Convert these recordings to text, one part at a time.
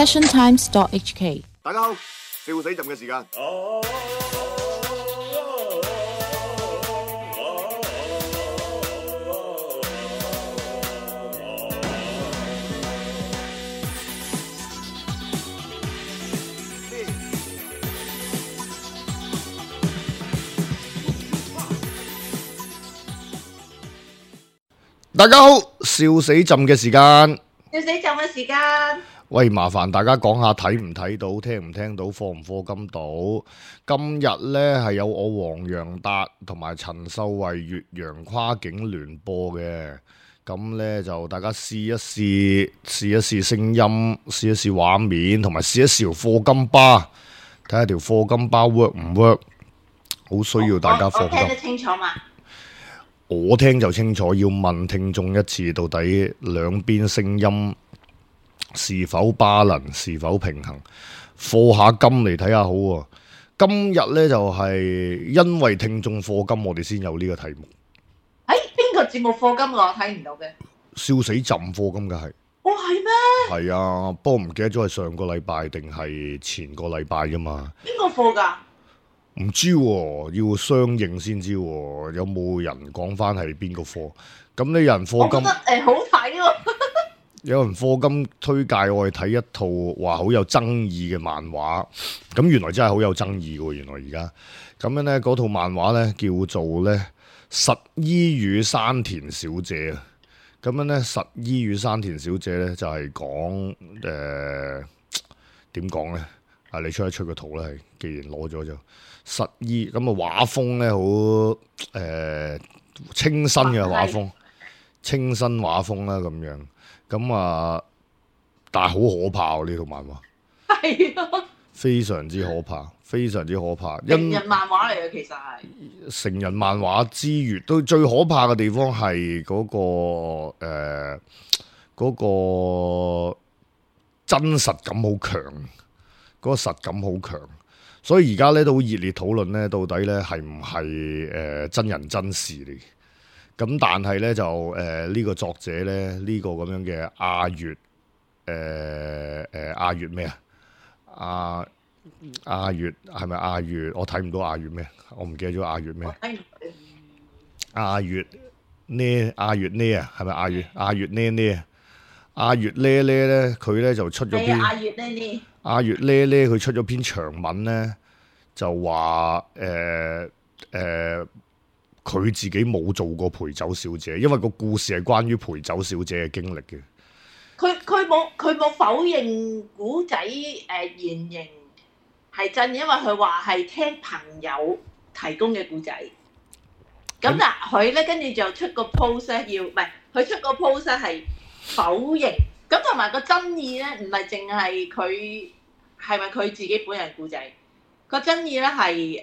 passiontimes.hk。大家好，笑死朕嘅時間。大家好，笑死朕嘅時間。笑死朕嘅時間。喂，麻煩大家講下睇唔睇到，聽唔聽到，課唔課金到？今日呢係有我黃洋達同埋陳秀慧越洋跨境聯播嘅，咁呢就大家試一試聲音，試一試畫面，同埋試一試條課金巴，睇下條課金巴 work 唔 work？ 好需要大家課金。我聽得清楚嘛？我聽就清楚，要問聽眾一次，到底兩邊聲音是否巴能，是否平衡？課下金嚟睇下好喎。今日呢，就係因為聽眾課金，我哋先有呢個題目。邊個節目課金我睇唔到嘅？笑死朕課金嘅係。哦，係咩？係啊，不過唔記得咗係上個禮拜定係前個禮拜啫嘛。邊個課㗎？唔知喎，要相應先知喎。有冇人講翻係邊個課？咁你有人課金？我覺得好睇喎。有人課金推介我去睇一套話好有爭議嘅漫畫，咁原來真係好有爭議喎！原來而家咁樣呢，嗰套漫畫呢叫做呢實衣與山田小姐啊。咁樣呢，實衣與山田小姐呢就係講點講呢？啊，你出一出個圖啦，係既然攞咗就實衣咁啊，畫風呢好清新嘅畫風，清新畫風啦咁樣。咁啊，但係好可怕喎！呢套漫畫係啊，非常之可怕，非常之可怕。成人漫畫嚟嘅，其實係成人漫畫之餘，都最可怕嘅地方係嗰個真實感好強，嗰個實感好強。所以而家咧都好熱烈討論咧，到底咧係唔係真人真事嚟？咁但係咧就呢個作者咧呢個咁樣嘅阿月阿月咩啊？阿月係咪阿月？我睇唔到阿月咩？我唔記得咗阿月咩？阿月呢？阿月呢啊？係咪阿月？阿月呢啊？阿月呢咧佢咧就出咗篇阿月呢？阿月呢佢出咗篇長文咧，就話佢自己冇做過陪酒小姐，因為個故事係關於陪酒小姐嘅經歷嘅。佢冇否認古仔原型係真，因為佢話係聽朋友提供嘅古仔。咁嗱，佢咧跟住就出個 post 咧，佢出個 post 係否認。咁同埋個爭議咧，唔係淨係佢係咪佢自己本人古仔，個爭議咧係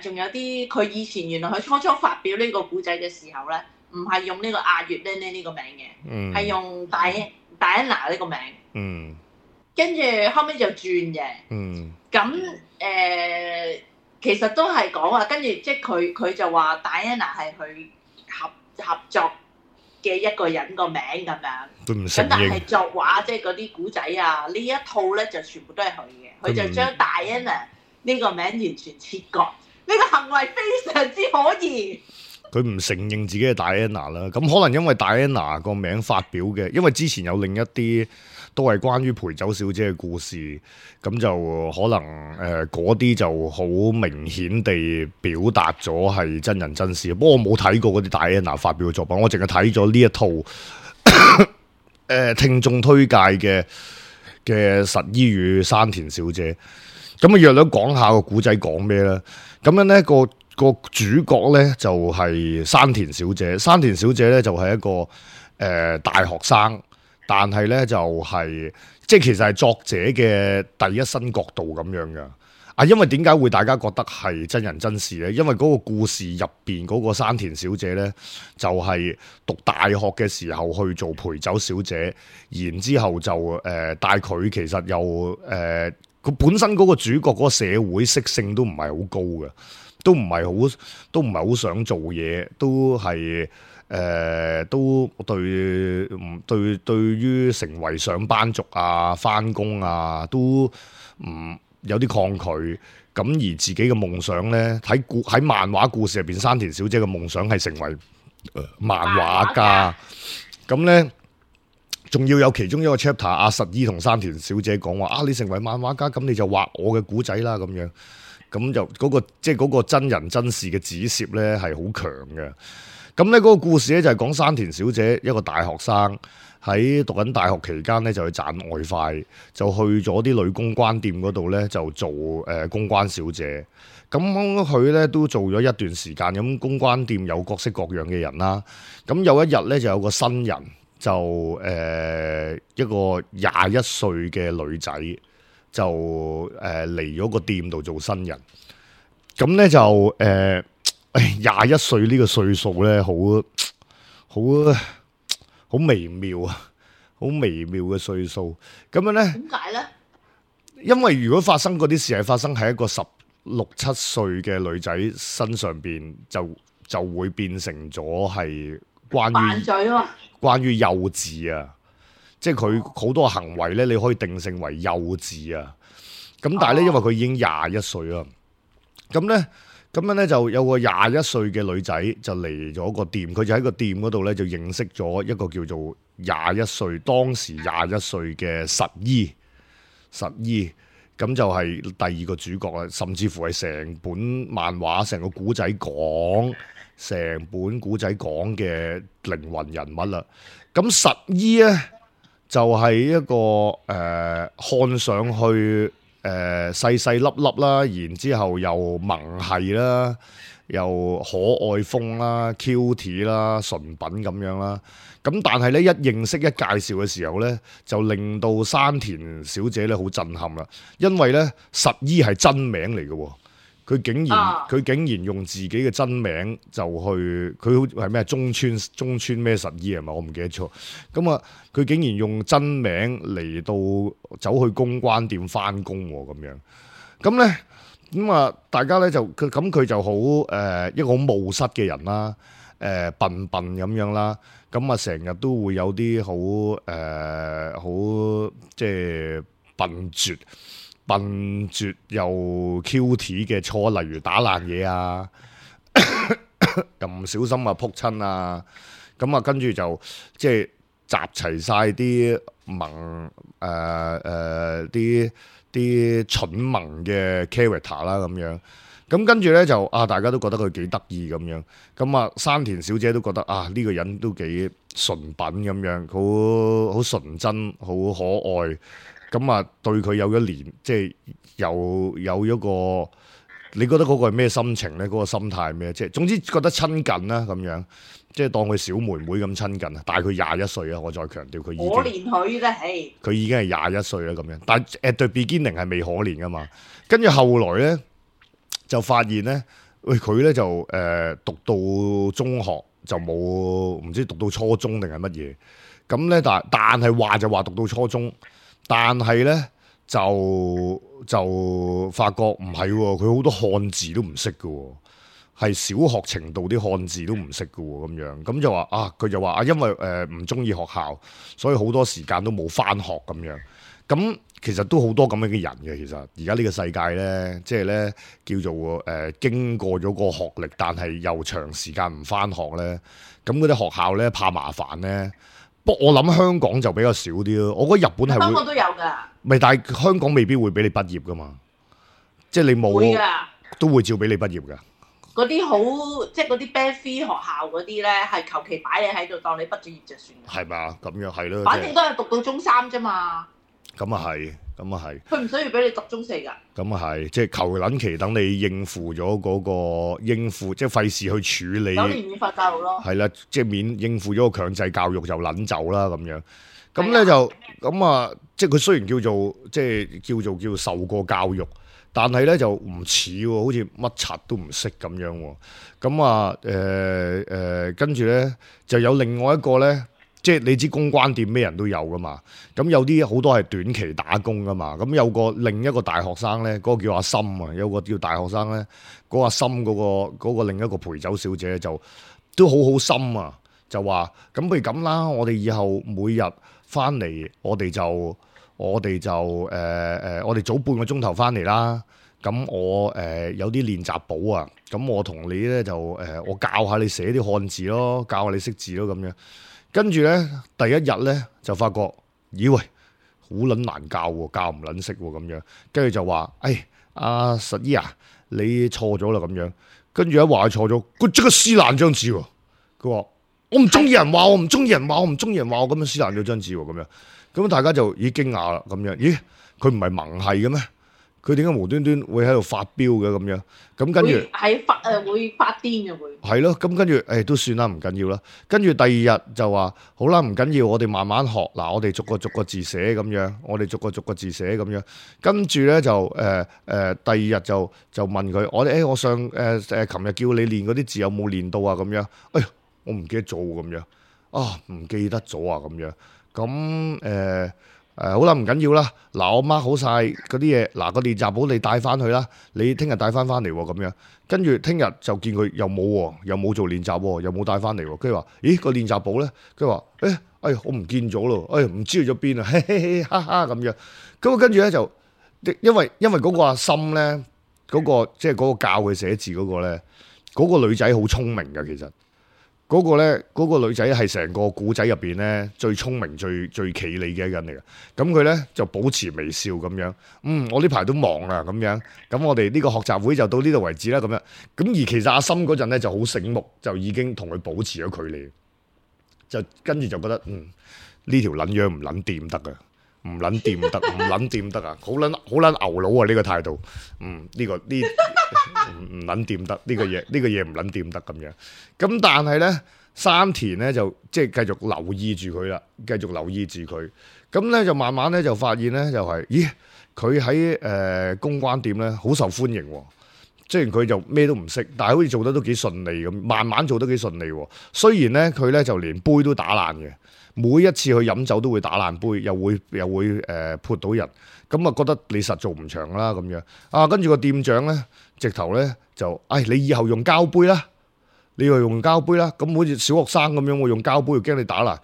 仲有啲佢以前原來佢初發表呢個古仔嘅時候咧，唔係用呢個阿月呢呢個名嘅，係用戴安娜呢個名。跟住後尾就轉嘅。咁其實都係講話，跟住即係佢就話戴安娜係佢合作嘅一個人個名咁樣。都唔承認。咁但係作畫即係嗰啲古仔啊，呢一套咧就全部都係佢嘅，佢就將戴安娜呢個名完全切割。呢個行為非常之可疑。佢唔承認自己係戴安娜啦，咁可能因為戴安娜個名發表嘅，因為之前有另一啲都係關於陪酒小姐嘅故事，咁就可能嗰啲就好明顯地表達咗係真人真事。不過我冇睇過嗰啲戴安娜發表嘅作品，我淨係睇咗呢一套聽眾推介嘅實衣與山田小姐。咁啊，約略講下個古仔講咩咧？咁樣咧個主角咧就係山田小姐。山田小姐咧就係一個大學生，但係咧就係即係其實係作者嘅第一身角度咁樣嘅。因為點解會大家覺得係真人真事咧？因為嗰個故事入邊嗰個山田小姐咧，就係讀大學嘅時候去做陪酒小姐，然之後就但係佢其實又佢本身嗰個主角嗰個社會適性都唔係好高嘅。都唔係好想做嘢，都係都對於成為上班族啊、返工啊，都唔有啲抗拒。咁而自己嘅夢想呢，喺漫畫故事入邊，山田小姐嘅夢想係成為漫畫家。咁呢，仲要有其中一個 chapter，阿實依同山田小姐講話啊，你成為漫畫家，咁你就畫我嘅古仔啦，咁樣。咁就嗰個真人真事嘅指涉呢係好強嘅。咁呢嗰個故事呢，就係講山田小姐一個大學生喺讀緊大學期間呢，就去賺外快，就去咗啲女公關店嗰度呢，就做公關小姐。咁佢呢都做咗一段時間，咁公關店有各式各樣嘅人啦。咁有一日呢，就有個新人，就一個21歲嘅女仔。就嚟咗個店度做新人，咁咧就21歲呢個歲數咧，好微妙啊，好微妙嘅歲數。咁樣咧，點解咧？因為如果發生嗰啲事係發生喺一個16、17歲嘅女仔身上邊，就會變成咗係關於幼稚啊。即係佢好多行為咧，你可以定性為幼稚啊。咁但係咧，因為佢已經21歲啦，咁樣咧就有個21歲嘅女仔就嚟咗個店，佢就喺個店嗰度咧就認識咗一個叫做21歲，當時21歲嘅實依，咁就係第二個主角啦，甚至乎係成本漫畫、成個古仔講嘅靈魂人物啦。咁實依咧，就係一個看上去細細粒粒啦，然之後又萌系啦，又可愛風啦、cute 啦、純品咁樣啦。咁但係咧，一認識一介紹嘅時候咧，就令到山田小姐咧好震撼啦，因為咧實依係真名嚟嘅喎。佢竟然用自己嘅真名就去，佢係咩中村咩實依係嘛？我唔記得咗。咁啊，佢竟然用真名嚟到走去公關店返工喎，咁樣。咁咧，咁啊，大家咧就佢就好一個好冒失嘅人啦，笨咁樣啦。咁啊，成日都會有啲好即係笨拙又 cute 嘅錯，例如打爛嘢啊，又唔小心啊撲親啊，咁啊跟住就即係集齊晒啲啲蠢萌嘅 character 啦咁樣，咁跟住咧就大家都覺得佢幾得意咁樣，咁啊山田小姐都覺得呢個人都幾純品咁樣，好純真，好可愛。咁啊，對佢有一年，即係有一個，你覺得嗰個係咩心情咧？嗰個心態咩？即係總之覺得親近啦，咁樣，即係當佢小妹妹咁親近啊。大佢21歲啊，我再強調佢已經可憐佢啦，係佢已經係21歲啦，咁樣。但係at the beginning係未可憐噶嘛。跟住後來咧，就發現咧，佢咧就讀到中學就冇，唔知讀到初中定係乜嘢。咁咧，但係話就話讀到初中。但係咧就發覺唔係喎，佢好多漢字都唔識嘅喎，係小學程度啲漢字都唔識嘅喎，咁樣咁就話佢就話因為唔中意學校，所以好多時間都冇返學咁樣。咁其實都好多咁樣嘅人嘅，其實而家呢個世界咧，即係咧叫做經過咗個學歷，但係又長時間唔返學咧，咁嗰啲學校咧怕麻煩咧。不過我諗香港就比較少啲咯，我覺得日本係會香港都有㗎，唔係，但係香港未必會俾你畢業噶嘛，即係你冇都會照俾你畢業㗎。嗰啲好即係嗰啲 band free 學校嗰啲咧，係求其擺你喺度當你畢咗業就算。係嘛？咁樣係咯，反正都係讀到中3啫嘛。咁啊係，咁啊係。佢唔需要俾你讀中4㗎。咁啊係，即係求撚其等你應付咗嗰個即係費事去處理。9年免費教育咯。係啦，即係應付咗個強制教育就撚走啦咁樣。咁咧就咁啊，即係佢雖然叫做受過教育，但係咧就唔似喎，好似乜柒都唔識咁樣喎。咁啊跟住咧就有另外一個咧即係你知公關店咩人都有噶嘛，咁有啲好多係短期打工噶嘛，咁有個另一個大學生咧，嗰個叫阿森啊，有個叫大學生咧，嗰個阿森嗰個另一個陪酒小姐就都好心啊，就話咁不如咁啦，我哋以後每日翻嚟，我哋就我哋早半個鐘頭翻嚟啦。咁我有啲練習簿啊，咁我同你咧就我教下你寫啲漢字咯，教下你識字咯咁樣。跟住咧第一日咧就發覺，咦喂，好撚難教喎，教唔撚識喎咁樣。跟住就話，阿實姨啊，你錯咗啦咁樣。跟住一話佢錯咗，佢即刻撕爛張紙喎。佢話我唔中意人話我，唔中意人話我，唔中意人話我咁樣撕爛咗張紙喎咁樣。咁大家就已經驚訝啦咁樣。咦，佢唔係萌系嘅咩？佢點解無端端會喺度發飆嘅咁樣？咁跟住會發癲嘅會。係咯，咁跟住都算啦，唔緊要啦。跟住第二日就話好啦，唔緊要，我哋慢慢學。嗱，我哋逐個字寫咁樣，我哋逐個字寫咁樣。跟住咧就第二日就問佢，我上琴日叫你練嗰啲字有冇練到啊？咁樣，我唔記得咗咁樣，唔記得咗啊咁樣。咁好啦，唔緊要啦。嗱，我 mark 好晒嗰啲嘢，嗱個練習簿你帶翻去啦。你聽日帶翻嚟喎，咁樣。跟住聽日就見佢又冇喎，又冇做練習喎，又冇帶翻嚟喎。跟住話，咦個練習簿咧？佢話，我唔見咗咯，唔知去咗邊啊，嘿嘿嘿，哈哈咁樣。咁跟住咧就，因為嗰個阿森咧，嗰個即係嗰個教佢寫字嗰個咧，嗰個女仔好聰明㗎，其實。嗰個女仔係成個古仔入邊咧最聰明、最企理嘅一個人嚟嘅。咁佢咧就保持微笑咁樣。我呢排都忙啦咁樣。咁我哋呢個學習會就到呢度為止啦咁樣。咁而其實阿森嗰陣咧就好醒目，就已經同佢保持咗距離。就跟住就覺得呢條撚樣唔撚掂得㗎，唔撚掂得，唔撚掂得啊！好撚牛佬啊！呢個態度，呢個唔撚掂得，呢個嘢唔撚掂得咁樣。咁但係咧，山田咧就即係繼續留意住佢啦，繼續留意住佢。咁咧就慢慢咧就發現咧就係，咦佢喺公關店咧好受歡迎喎。雖然佢就咩都唔識，但係好似做得都幾順利咁，慢慢做得幾順利喎。雖然咧佢咧就連杯都打爛嘅。每一次去飲酒都會打爛杯，又會潑到人，咁啊覺得你實做唔長啦咁樣。跟住個店長咧，直頭咧就，你以後用膠杯啦，你以後用膠杯啦。咁好似小學生咁樣，我用膠杯，驚你打爛。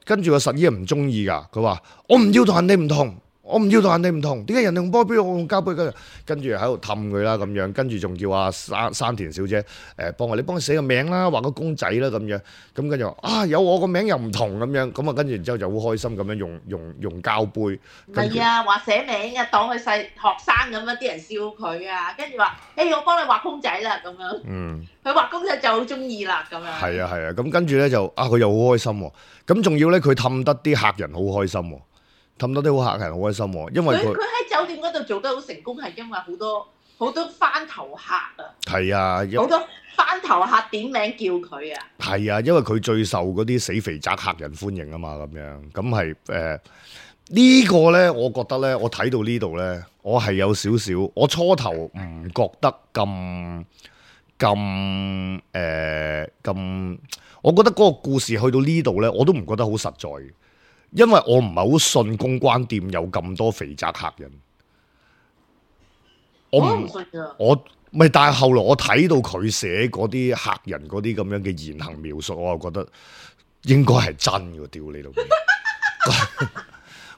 跟住個實姨唔中意㗎，佢話我唔要同人哋唔同。我唔要同人哋唔同，點解人哋用波杯我用膠杯？跟住喺度氹佢啦咁樣，跟住仲叫阿山田小姐你幫佢寫個名啦，畫個公仔啦咁樣，咁跟住話有我個名又唔同咁樣，咁啊跟住然之後就好開心咁樣用膠杯。係啊，話寫名啊，當佢細學生咁樣，啲人笑佢啊，跟住話我幫你畫公仔啦咁樣。佢畫公仔就好中意啦咁樣。係啊，咁跟住咧就佢又好開心喎，咁仲要咧佢氹得啲客人好開心喎。氹到啲好客人好開心喎，因為佢喺酒店嗰度做得好成功，係因為好多番頭客啊。係啊，好多番頭客點名叫佢啊。係啊，因為佢最受嗰啲死肥宅客人歡迎啊嘛，咁樣咁係呢個咧，我覺得咧，我睇到呢度咧，我係有少少，我初頭唔覺得咁，我覺得嗰個故事去到呢度咧，我都唔覺得好實在。因為我唔係好信公關店有咁多肥宅客人，我唔信啊！但係後來我睇到佢寫嗰啲客人嗰啲咁樣嘅言行描述，我就覺得應該係真嘅。屌你老味！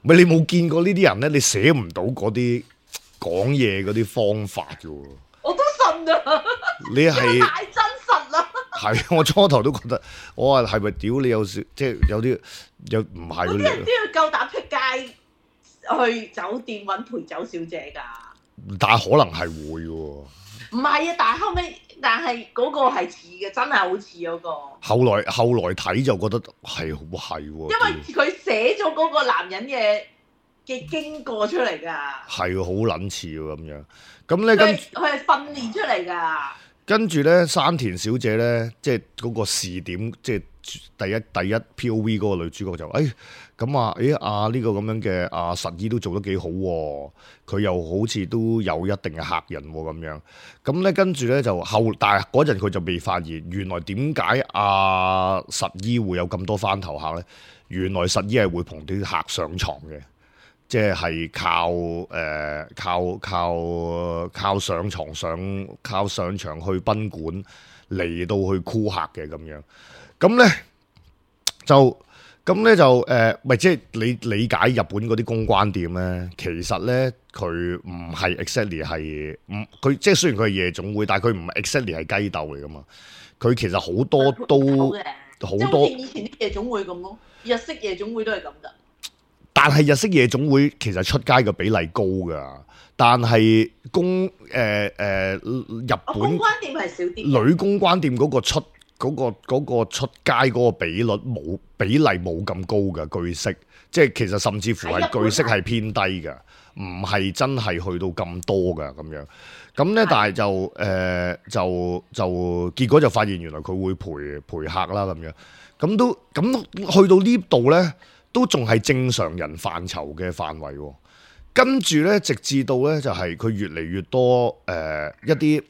咪你冇見過呢啲人咧？你寫唔到嗰啲講嘢嗰啲方法嘅喎。我都信啊！你係太真實啦！係，我初頭都覺得，我話係咪屌你有時即係有啲又唔係嗰啲人都要夠膽出街去酒店揾陪酒小姐㗎？但係可能係會喎。唔係啊，但係嗰個係似嘅，真係好似嗰個。後來睇就覺得係喎。因為佢寫咗嗰個男人嘅經過出嚟㗎。係好撚似喎咁樣。咁咧佢係訓練出嚟㗎。跟住咧，山田小姐咧，即係嗰個視點，即係第一 POV 嗰個女主角就，咁啊，呢個咁樣嘅實姨都做得幾好喎，佢又好似都有一定嘅客人喎咁樣。咁咧跟住咧就但係嗰陣佢就未發現，原來點解實姨會有咁多翻頭客咧？原來實姨係會同啲客上床嘅。即係靠上床靠上場去賓館嚟到去箍客嘅咁樣，咁咧就咪即係你理解日本嗰啲公關店咧，其實咧佢唔係 exactly 係佢即係雖然佢係夜總會，但係佢唔係 exactly 係雞竇嚟噶嘛，佢其實好多都好多，即係好似以前啲夜總會咁咯，日式夜總會都係咁噶。但係日式夜總會其實出街嘅比例高㗎，但係日本公關店係少啲，女公關店嗰個出街嗰個比例冇咁高㗎，據悉，即係其實甚至乎係據悉係偏低㗎，唔係真係去到咁多㗎咁樣。咁咧，但係就結果就發現原來佢會陪客啦咁樣，咁去到呢度咧。都仲係正常人範疇嘅範圍喎，跟住咧，直至到咧就係佢越嚟越多一啲，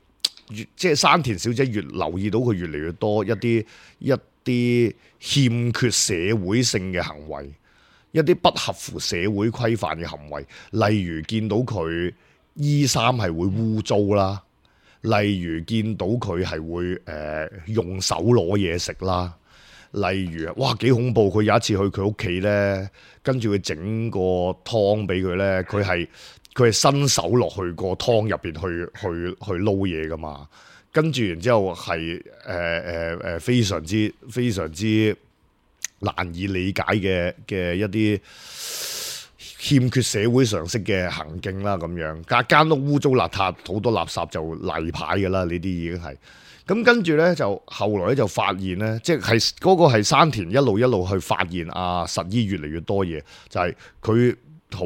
即係山田小姐越留意到佢越嚟越多一啲欠缺社會性嘅行為，一啲不合乎社會規範嘅行為，例如見到佢衣衫係會污糟啦，例如見到佢係會用手攞嘢食啦。例如哇幾恐怖！佢有一次去佢屋企咧，跟住佢整個湯俾佢咧，佢係伸手落去個湯入邊去撈嘢噶嘛，跟住然之後係非常之難以理解嘅一啲欠缺社會常識嘅行徑啦，咁樣間屋污糟邋遢，好多垃圾就例牌噶啦，呢啲已經係。咁跟住咧，就後來咧就發現咧，即係嗰個係山田一路去發現實姨越嚟越多嘢，就係佢好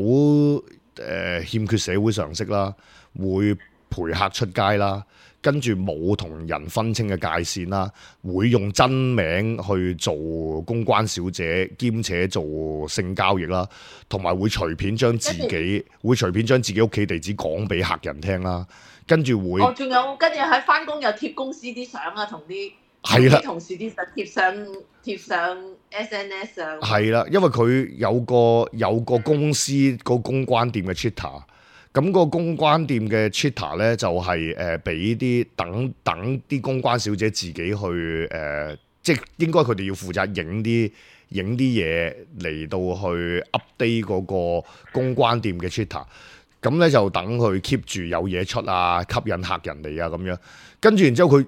欠缺社會常識啦，會陪客出街啦，跟住冇同人分清嘅界線啦，會用真名去做公關小姐，兼且做性交易啦，同埋會隨便將自己屋企地址講俾客人聽啦。跟住會，仲有跟住喺翻工又貼公司啲相啊，同啲同事啲相貼上 SNS 啊。係啦，因為佢有個公司個公關店嘅 Twitter，咁個公關店嘅 Twitter 咧就係俾啲等啲公關小姐自己去即係應該佢哋要負責影啲嘢嚟到去 update 嗰個公關店嘅 Twitter。咁咧就等佢 keep 住有嘢出啊，吸引客人嚟啊咁樣。跟住然之後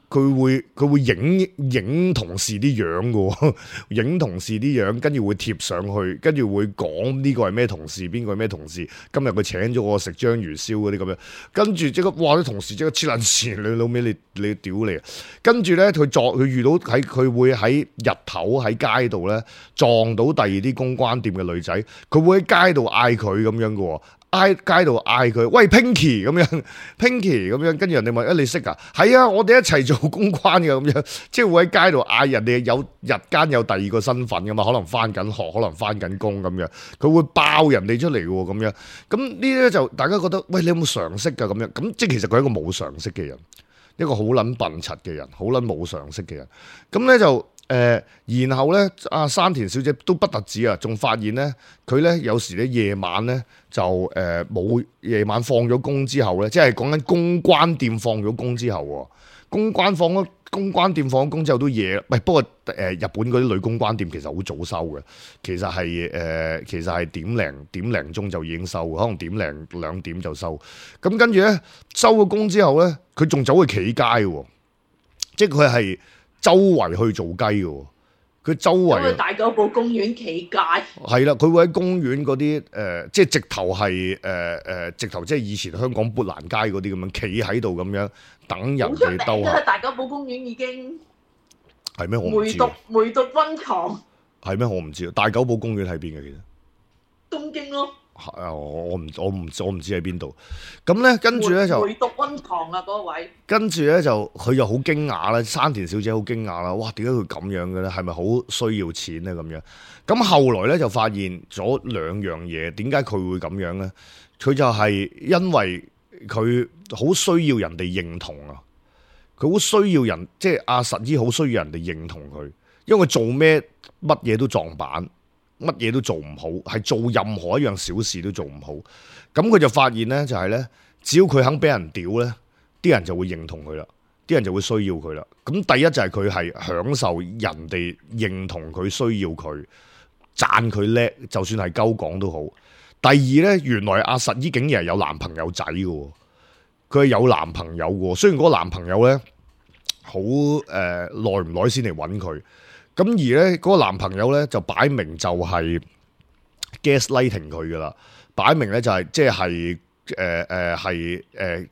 佢會影同事啲樣嘅喎，影同事啲樣，跟住會貼上去，跟住會講呢個係咩同事，邊個係咩同事。今日佢請咗我食章魚燒嗰啲咁樣，跟住即刻哇啲同事即刻黐撚線，你老味你屌你！跟住咧佢遇到佢會喺日頭喺街度咧撞到第二啲公關店嘅女仔，佢會喺街度嗌佢咁樣嘅喎。街度嗌佢，喂 Pinky 咁樣 ，Pinky 咁樣，跟住人哋問，你識啊？係啊，我哋一齊做公關嘅咁樣，即係會喺街度嗌人哋日間有第二個身份噶嘛，可能翻緊學，可能翻緊工咁樣，佢會爆人哋出嚟嘅喎咁樣。咁呢啲咧就大家覺得，喂，你有冇常識㗎咁樣？咁即係其實佢係一個冇常識嘅人，一個好撚笨柒嘅人，好撚冇常識嘅人。咁咧就。然後咧，山田小姐都不特止啊，仲發現咧，佢咧有時咧夜晚咧就冇夜晚放咗工之後咧，即係講緊公關店放咗工之後喎，公關店放咗工之後都夜，不過日本嗰啲女公關店其實好早收嘅，其實係點零鐘就已經收，可能點零2點就收。咁跟住咧收咗工之後咧，佢仲走去企街喎，即係佢係。周圍去做雞嘅，佢周圍大久保公園企街，係啦，佢會喺公園嗰啲即係直頭係直頭即係以前香港砵蘭街嗰啲咁樣企喺度咁樣等人哋兜下。大久保公園已經係咩？我唔知。梅毒溫床係咩？我唔知。大久保公園喺邊嘅其實？東京咯。我唔知喺邊度。咁咧跟住咧就回讀溫堂啊嗰位。跟住咧就佢又好驚訝啦，山田小姐好驚訝啦，哇！點解佢咁樣嘅咧？係咪好需要錢咧？咁樣咁後來咧就發現咗兩樣嘢，點解佢會咁樣咧？佢就係因為佢好需要人哋認同啊！佢好需要人，即係阿實姨好需要人哋認同佢，因為佢做咩乜嘢都撞板，乜嘢都做唔好，係做任何一樣小事都做唔好。咁佢就發現咧，就係咧，只要佢肯俾人屌咧，啲人就會認同佢啦，啲人就會需要佢啦。咁第一就係佢係享受人哋認同佢，需要佢，讚佢叻，就算係鳩講都好。第二咧，原來阿實姨竟然係有男朋友仔嘅。佢係有男朋友嘅，雖然嗰個男朋友咧好耐唔耐先嚟揾佢，咁而咧嗰個男朋友咧就擺明就係 gaslighting 佢噶啦，擺明咧就係即係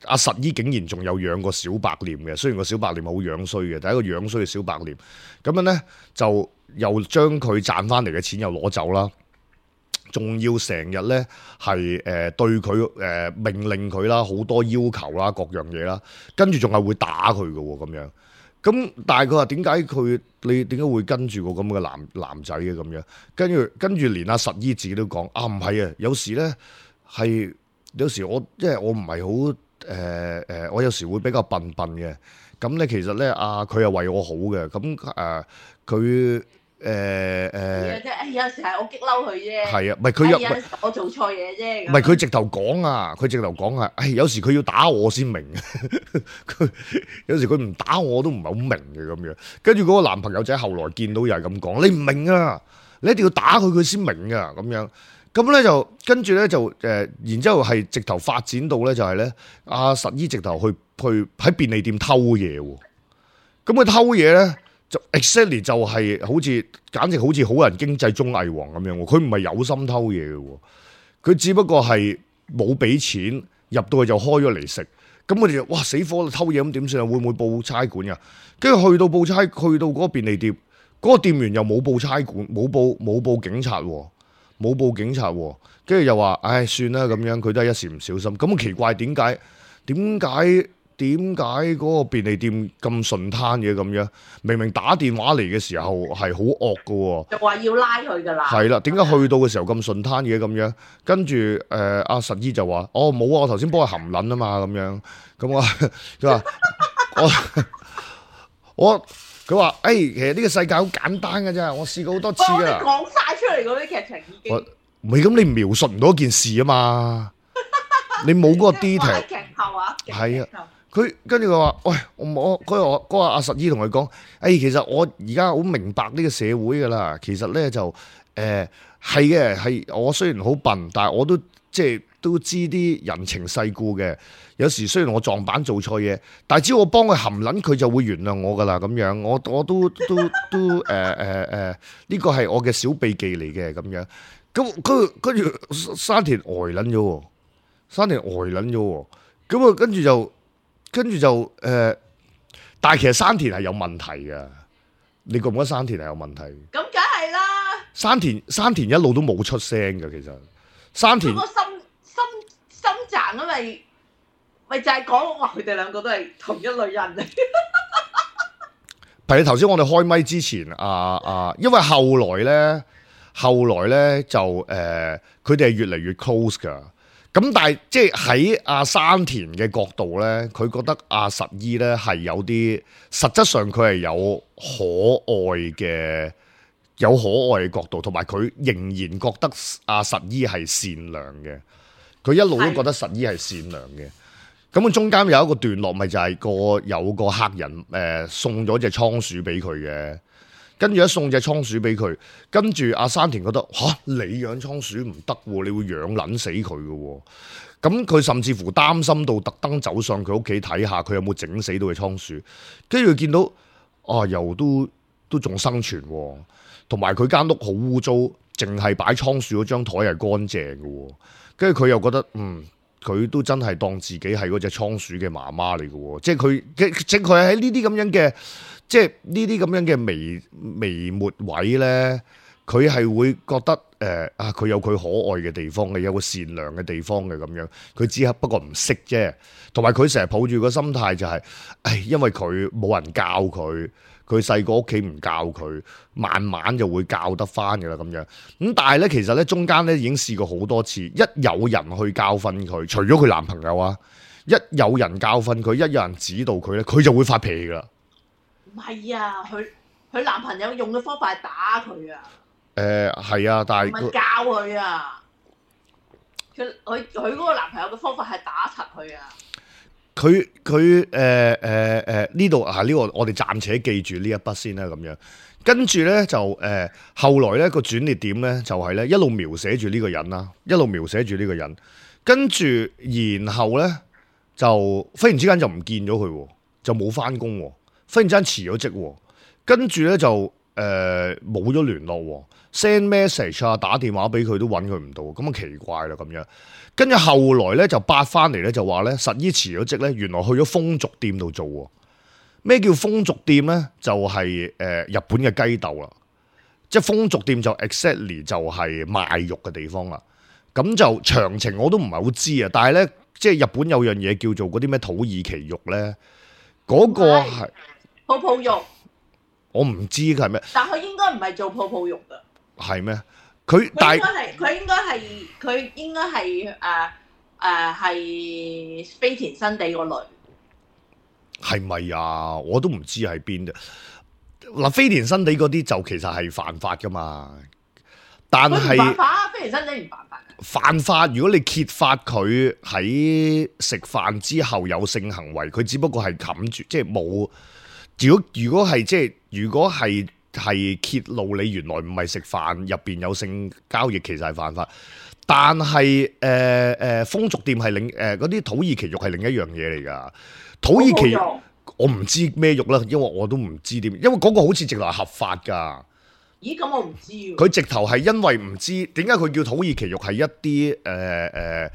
阿實姨竟然仲有養個小白臉嘅，雖然個小白臉好樣衰嘅，但係一個樣衰嘅小白臉，咁樣咧就又將佢賺翻嚟嘅錢又攞走啦。仲要成日咧係對佢命令佢啦，好多要求啦，各樣嘢啦，跟住仲係會打佢嘅喎咁樣。咁但係佢話點解你點解會跟住個咁嘅男仔嘅咁樣？跟住連阿實姨自己都講啊，唔係啊，有時咧係有時我即係我唔係好我有時會比較笨嘅。咁咧其實咧佢係為我好嘅，咁佢。有時係我激嬲佢啫。係啊，唔係佢有時我做錯嘢啫。唔係佢直頭講啊，有時佢要打我先明。佢有時佢唔打我都唔係好明嘅咁樣。跟住嗰個男朋友仔後來見到又係咁講，你唔明啊，你一定要打佢先明啊咁樣。咁咧就跟住咧就然之後係直頭發展到咧就係咧阿實姨直頭去喺便利店偷嘢喎。咁佢偷嘢咧。就 exactly 就係簡直好似好人經濟綜藝王咁樣喎，佢唔係有心偷嘢嘅喎，佢只不過係冇俾錢入到去就開咗嚟食，咁佢哋就哇死火啦，偷嘢咁點算啊？會唔會報差館㗎？跟住去到嗰個便利店，嗰個店員又冇報差館，冇報警察喎，跟住又話唉算啦咁樣，佢都係一時唔小心。咁奇怪點解嗰個便利店咁順攤嘅咁樣？明明打電話嚟嘅時候係好惡㗎喎，就話要拉佢㗎啦。係啦，點解去到嘅時候咁順攤嘅咁樣？跟住阿實姨就話：哦冇啊，我頭先幫佢含撚啊嘛咁樣。咁佢話佢話其實呢個世界好簡單㗎啫，我試過好多次㗎。你講晒出嚟嗰啲劇情已經唔係咁，你描述唔到一件事啊嘛，你冇嗰個 detail。劇透啊，係啊。佢跟住佢話：喂，我嗰個阿實姨同佢講，其實我而家好明白呢個社會㗎啦。其實咧就係嘅，係我雖然好笨，但係我都即係都知啲人情世故嘅。有時雖然我撞板做錯嘢，但係只要我幫佢含撚，佢就會原諒我㗎啦。咁樣我都呢個係我嘅小秘技嚟嘅咁樣。咁跟住山田呆撚咗喎，咁啊跟住就但係其實山田係有問題嘅，你覺唔覺得山田係有問題？咁梗係啦。山田一路都冇出聲嘅，其實山田個心賺啊，咪就係講話佢哋兩個都係同一類人嚟。譬如頭先我哋開咪之前因為後來咧就佢哋係越嚟越 close 㗎。咁但係即係喺阿山田嘅角度咧，佢覺得阿實姨咧係有啲實質上佢係有可愛嘅角度，同埋佢仍然覺得阿實姨係善良嘅，佢一路都覺得實姨係善良嘅。咁中間有一個段落，咪就係有個客人送咗隻倉鼠俾佢嘅。跟住一送隻倉鼠俾佢，跟住阿山田覺得你養倉鼠唔得喎，你會養撚死佢嘅喎。咁佢甚至乎擔心到特登走上佢屋企睇下，佢有冇整死到隻倉鼠。跟住佢見到又都仲生存喎，同埋佢間屋好污糟，淨係擺倉鼠嗰張台係乾淨嘅喎。跟住佢又覺得佢都真係當自己係嗰隻倉鼠嘅媽媽嚟嘅喎，即係佢喺呢啲咁樣嘅。即係呢啲咁樣嘅微末位咧，佢係會覺得佢有佢可愛嘅地方嘅，有個善良嘅地方嘅咁樣，佢只係不過唔識啫。同埋佢成日抱住個心態就係、因為佢冇人教佢，佢細個屋企唔教佢，慢慢就會教得翻噶啦咁樣。咁但係咧，其實咧中間咧已經試過好多次，一有人去教訓佢，除咗佢男朋友啊，一有人教訓佢，一有人指導佢咧，佢就會發脾氣噶啦。唔係啊，佢男朋友用嘅方法係打佢啊。係啊，但係唔係教佢啊，佢嗰個男朋友嘅方法係打柒佢啊。佢呢度啊，呢個我哋暫且記住呢一筆先啦咁樣。跟住咧就後來咧個轉捩點咧就係咧一路描寫住呢個人啦，一路描寫住呢個人。跟住然後咧就忽然之間就唔見咗佢，就冇翻工，忽然之間辭咗職，跟住咧就冇咗聯絡，send message 啊，打電話俾佢都揾佢唔到，咁啊奇怪啦咁樣。跟住後來咧就八翻嚟咧就話咧實依辭咗職咧，原來去咗風俗店度做。咩叫風俗店咧？就係日本嘅雞竇啦，即係風俗店就 exactly 就係賣肉嘅地方啦。咁就詳情我都唔係好知啊，但係咧即係日本有樣嘢叫做嗰啲咩土耳其肉咧，嗰個係泡泡肉。我唔知佢係咩，但佢應該唔係做泡泡肉噶。係咩？佢但係佢應該係係飛田新地個類。係咪啊？我都唔知喺邊啫。嗱，飛田新地嗰啲就其實係犯法噶嘛，但係犯法，飛田新地唔犯法。犯法，如果你揭發佢喺食飯之後有性行為，佢只不過係冚住，即係冇。如果係即係如果係揭露你原來唔係食飯入邊有性交易，其實係犯法。但係風俗店係嗰啲土耳其肉係另一樣嘢嚟㗎。土耳其我唔知咩肉啦，因為我都唔知點，因為嗰個好似直頭係合法㗎。咦？咁我唔知喎。佢直頭係因為唔知點解佢叫土耳其肉係一啲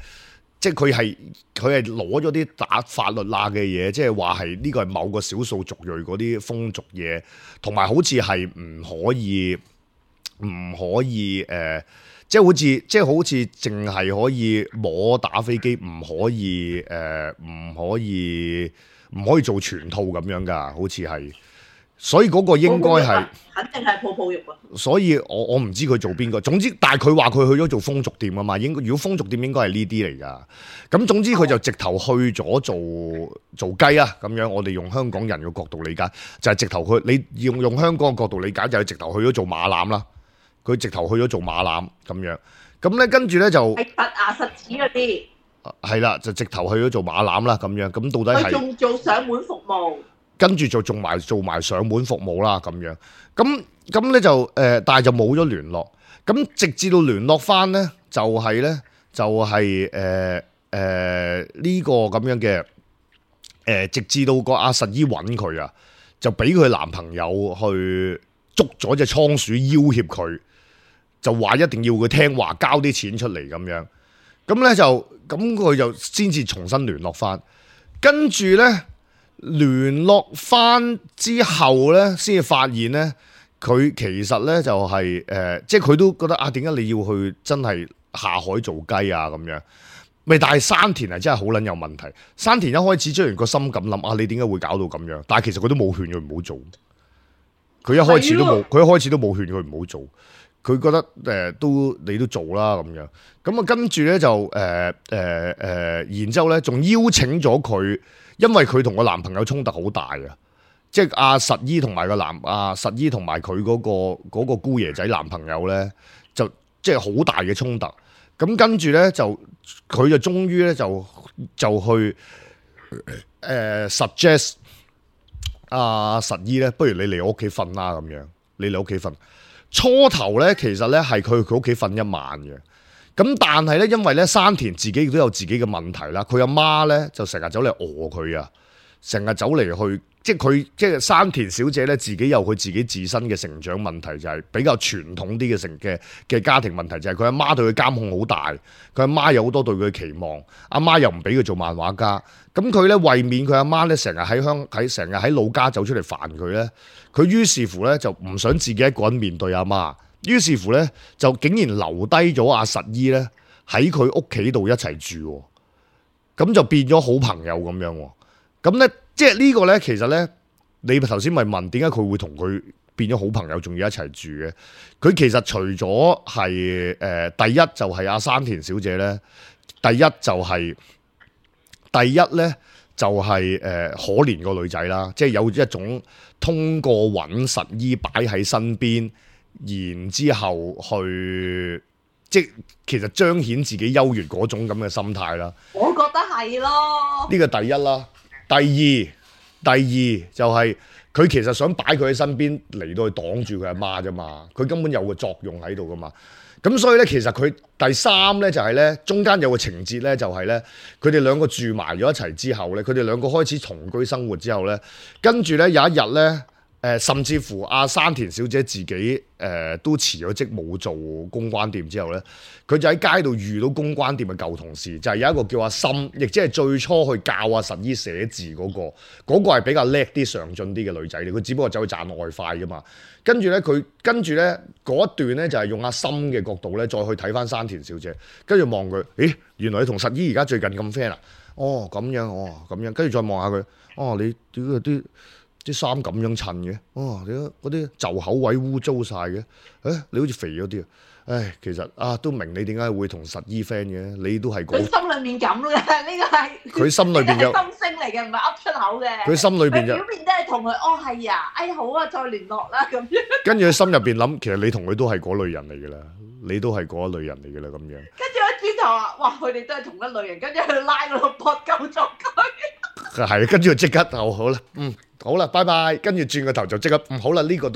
即係佢係攞咗啲打法律罅嘅嘢，即係話係呢個係某個少數族裔嗰啲風俗嘢，同埋好似係唔可以即係好似淨係可以摸打飛機，唔可以做全套咁樣㗎，好似係。所以嗰個應該係肯定係泡泡肉啊！所以我唔知佢做邊個，總之但係佢話佢去咗做風俗店啊嘛，如果風俗店應該係呢啲嚟噶，咁總之佢就直頭去咗做雞啊咁樣，我哋用香港人嘅角度理解，就係直頭你用香港嘅角度理解就係直頭去咗做馬攬啦，佢直頭去咗做馬攬咁樣，咁咧跟住咧就係實牙實齒嗰啲，係啦，就直頭去咗做馬攬啦咁樣，咁到底係佢仲做上門服務。跟住就做埋上門服務啦，咁樣咁咧就但係就冇咗聯絡。咁直至到聯絡翻咧，就係呢個咁樣嘅直至到個阿實姨揾佢啊，就俾佢男朋友去捉咗隻倉鼠要挾佢，就話一定要佢聽話交啲錢出嚟咁樣。咁咧就咁佢就先至重新聯絡翻，跟住咧。聯絡翻之後咧，先至發現咧，佢其實咧就係即係佢都覺得啊，點解你要去真係下海做雞啊咁樣？咪但係山田係真係好撚有問題。山田一開始雖然個心咁諗啊，你點解會搞到咁樣？但係其實佢都冇勸佢唔好做。佢一開始都冇勸佢唔好做。佢覺得你都做啦咁樣。咁啊跟住咧就然之後咧仲邀請咗佢。因為佢同個男朋友衝突好大啊，即係阿實姨同埋實姨同埋佢嗰個姑爺仔男朋友咧，就即係好大嘅衝突。咁跟住咧就佢就終於咧就去suggest 阿實姨咧，不如你嚟我屋企瞓啦咁樣，你嚟屋企瞓。初頭咧其實咧係佢屋企瞓一晚嘅。咁但係咧，因為咧山田自己亦都有自己嘅問題啦，佢阿媽咧就成日走嚟餓佢啊，成日走嚟去，即係山田小姐咧自己有佢自己自身嘅成長問題，就係比較傳統啲嘅家庭問題，就係佢阿媽對佢監控好大，佢阿媽有好多對佢嘅期望，阿媽又唔俾佢做漫畫家，咁佢咧為免佢阿媽咧成日喺老家走出嚟煩佢咧，佢於是乎咧就唔想自己一個人面對阿媽。於是乎咧就竟然留低咗阿實姨咧喺佢屋企度一齊住喎，咁就變咗好朋友咁樣喎。咁咧即係呢個咧其實咧，你頭先咪問點解佢會同佢變咗好朋友，仲要一齊住嘅？佢其實除咗係第一就係阿山田小姐咧，第一咧就係可憐個女仔啦，即係有一種通過揾實姨擺喺身邊，然之後去即係其實彰顯自己優越嗰種咁嘅心態啦。我覺得係咯。呢個第一啦，第二就係佢其實想擺佢喺身邊嚟到去擋住佢阿媽啫嘛，佢根本有個作用喺度噶嘛。咁所以咧，其實佢第三咧就係咧，中間有個情節咧，就係咧，佢哋兩個住埋咗一齊之後咧，佢哋兩個開始同居生活之後咧，跟住咧有一日咧，甚至乎阿山田小姐自己都辭咗職冇做公關店之後咧，佢就喺街度遇到公關店嘅舊同事，就係有一個叫阿森，亦即係最初去教阿實姨寫字嗰個係比較叻啲、上進啲嘅女仔嚟，佢只不過走去賺外快噶嘛。跟住咧，佢跟住咧嗰一段咧就係用阿森嘅角度咧，再去睇翻山田小姐，跟住望佢，咦，原來你同實姨而家最近咁 friend 啊？哦，咁樣，哦，咁樣，跟住再望下佢，哦，你屌啲衫咁樣襯嘅，哦，你嗰啲袖口位污糟晒嘅，你好似肥咗啲啊！唉，其實都明你點解會同實姨 friend 嘅，你都係佢心裏面咁嘅，呢個係佢心裏邊有心聲嚟嘅，唔係噏出口嘅。佢心裏邊有表面都係同佢，哦係啊，哎好啊，再聯絡啦咁樣。跟住佢心入邊諗，其實你同佢都係嗰類人嚟㗎啦，你都係嗰一類人嚟㗎啦咁樣。跟住我轉頭話，哇，佢哋都係同一類人，跟住佢拉嗰個膊夠咗佢。係，跟住就即刻好啦，好啦，拜拜。跟住轉個頭就即刻，好啦，呢個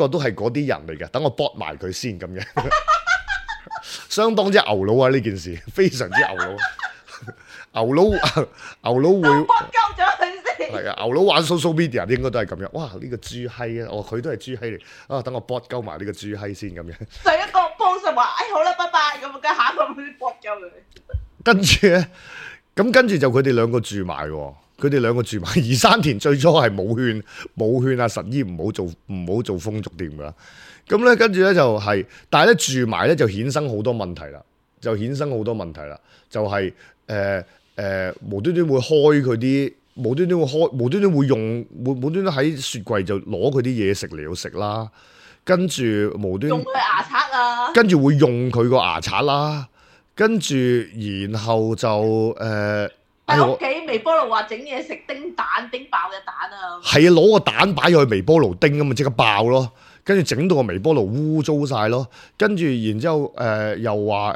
都係嗰啲人嚟嘅，等我搏埋佢先咁樣，相當之牛佬啊！呢件事非常之牛佬，牛佬會膊夠咗佢先。係啊，牛佬玩 social media 應該都係咁樣。哇，呢個豬閪啊！佢都係豬閪嚟等我搏鳩埋呢個豬閪先咁樣。上一個 post 話，好啦，拜拜咁，跟下一個搏鳩佢。跟住咧，咁跟住就佢哋兩個住埋喎。而山田最初係冇勸阿實姨唔好做風俗店噶，咁咧跟住咧就係、但係咧住埋咧就衍生好多問題啦，就係無端端會開佢啲，無端端會用，無端端喺雪櫃就攞佢啲嘢食嚟到食啦，跟住無端用佢牙刷啊，跟住會用佢個牙刷啦，跟住然後就喺屋企微波爐話整嘢食，叮爆嘅蛋啊！係啊，攞個蛋擺入去微波爐叮咁咪即刻爆咯，跟住整到個微波爐污糟晒咯，跟住然之後又話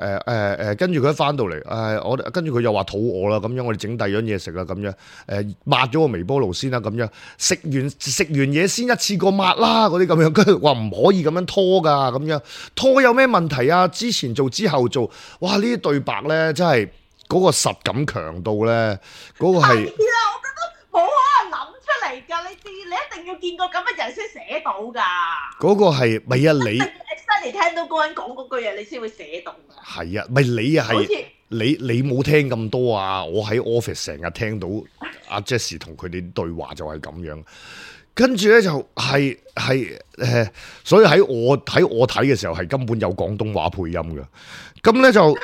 跟住佢一翻到嚟跟住佢又話肚餓啦，咁樣我哋整第二樣嘢食啦，咁樣抹咗個微波爐先啦，咁樣食完嘢先一次過抹啦，嗰啲咁樣，跟住話唔可以咁樣拖噶，咁樣拖有咩問題啊？之前做之後做，哇！呢啲對白咧真係〜嗰個實感強到咧，嗰個係，我覺得冇可能諗出嚟㗎，你一定要見過咁嘅人先寫到㗎。嗰個係咪啊？你 exactly 聽到嗰個人講嗰句嘢，你先會寫到㗎。係啊，咪你啊係，你冇聽咁多啊！我喺 office 成日聽到阿 Jessie 同佢哋對話就係咁樣，跟住咧就係所以喺我睇嘅時候係根本有廣東話配音㗎，咁咧就。